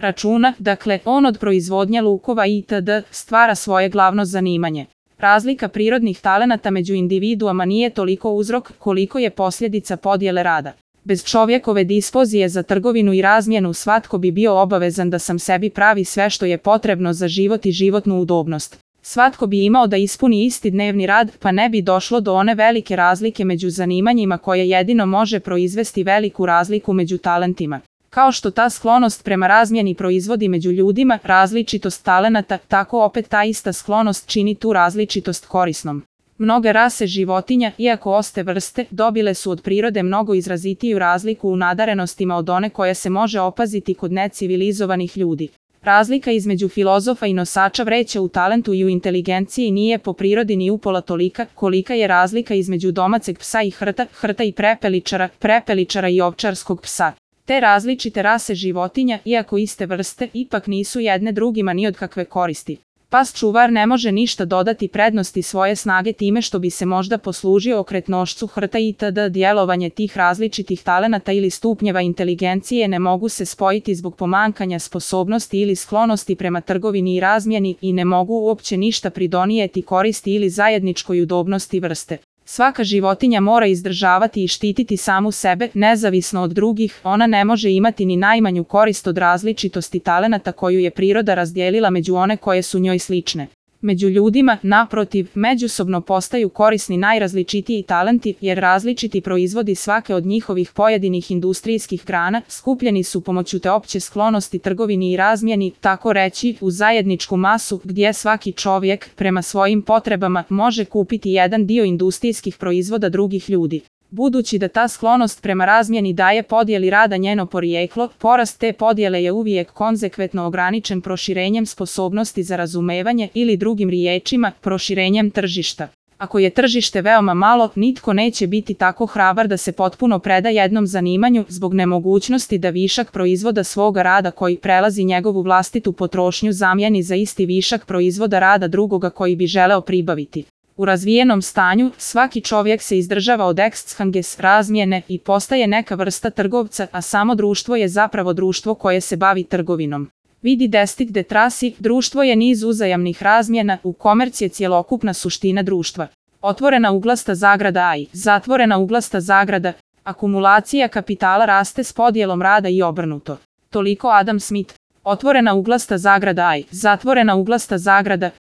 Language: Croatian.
računa, dakle, on od proizvodnje lukova itd. Stvara svoje glavno zanimanje. Razlika prirodnih talenata među individuama nije toliko uzrok koliko je posljedica podjele rada. Bez čovjekove dispozije za trgovinu i razmjenu svatko bi bio obavezan da sam sebi pravi sve što je potrebno za život i životnu udobnost. Svatko bi imao da ispuni isti dnevni rad, pa ne bi došlo do one velike razlike među zanimanjima koje jedino može proizvesti veliku razliku među talentima. Kao što ta sklonost prema razmjeni proizvodi među ljudima različitost talenata, tako opet ta ista sklonost čini tu različitost korisnom. Mnoge rase životinja, iako oste vrste, dobile su od prirode mnogo izrazitiju razliku u nadarenostima od one koja se može opaziti kod necivilizovanih ljudi. Razlika između filozofa i nosača vreća u talentu i u inteligenciji nije po prirodi ni upola tolika, kolika je razlika između domaceg psa i hrta i prepeličara i ovčarskog psa. Te različite rase životinja, iako iste vrste, ipak nisu jedne drugima ni od kakve koristi. Pas čuvar ne može ništa dodati prednosti svoje snage time što bi se možda poslužio okretnošću hrta itd. Djelovanje tih različitih talenata ili stupnjeva inteligencije ne mogu se spojiti zbog pomankanja sposobnosti ili sklonosti prema trgovini i razmjeni i ne mogu uopće ništa pridonijeti koristi ili zajedničkoj udobnosti vrste. Svaka životinja mora izdržavati i štititi samu sebe, nezavisno od drugih, ona ne može imati ni najmanju korist od različitosti talenata koju je priroda razdijelila među one koje su njoj slične. Među ljudima, naprotiv, međusobno postaju korisni najrazličitiji talenti, jer različiti proizvodi svake od njihovih pojedinih industrijskih grana skupljeni su pomoću te opće sklonosti trgovini i razmjeni, tako reći, u zajedničku masu, gdje svaki čovjek, prema svojim potrebama, može kupiti jedan dio industrijskih proizvoda drugih ljudi. Budući da ta sklonost prema razmjeni daje podjeli rada njeno porijeklo, porast te podjele je uvijek konzekventno ograničen proširenjem sposobnosti za razumevanje ili drugim riječima, proširenjem tržišta. Ako je tržište veoma malo, nitko neće biti tako hrabar da se potpuno preda jednom zanimanju zbog nemogućnosti da višak proizvoda svoga rada koji prelazi njegovu vlastitu potrošnju zamijeni za isti višak proizvoda rada drugoga koji bi želeo pribaviti. U razvijenom stanju, svaki čovjek se izdržava od exchanges, razmjene i postaje neka vrsta trgovca, a samo društvo je zapravo društvo koje se bavi trgovinom. Vidi destit de trasi, društvo je niz uzajamnih razmjena, u komerc je cjelokupna suština društva. Otvorena uglasta zagrada i zatvorena uglasta zagrada, akumulacija kapitala raste s podjelom rada i obrnuto. Toliko Adam Smith. Otvorena uglasta zagrada i zatvorena uglasta zagrada,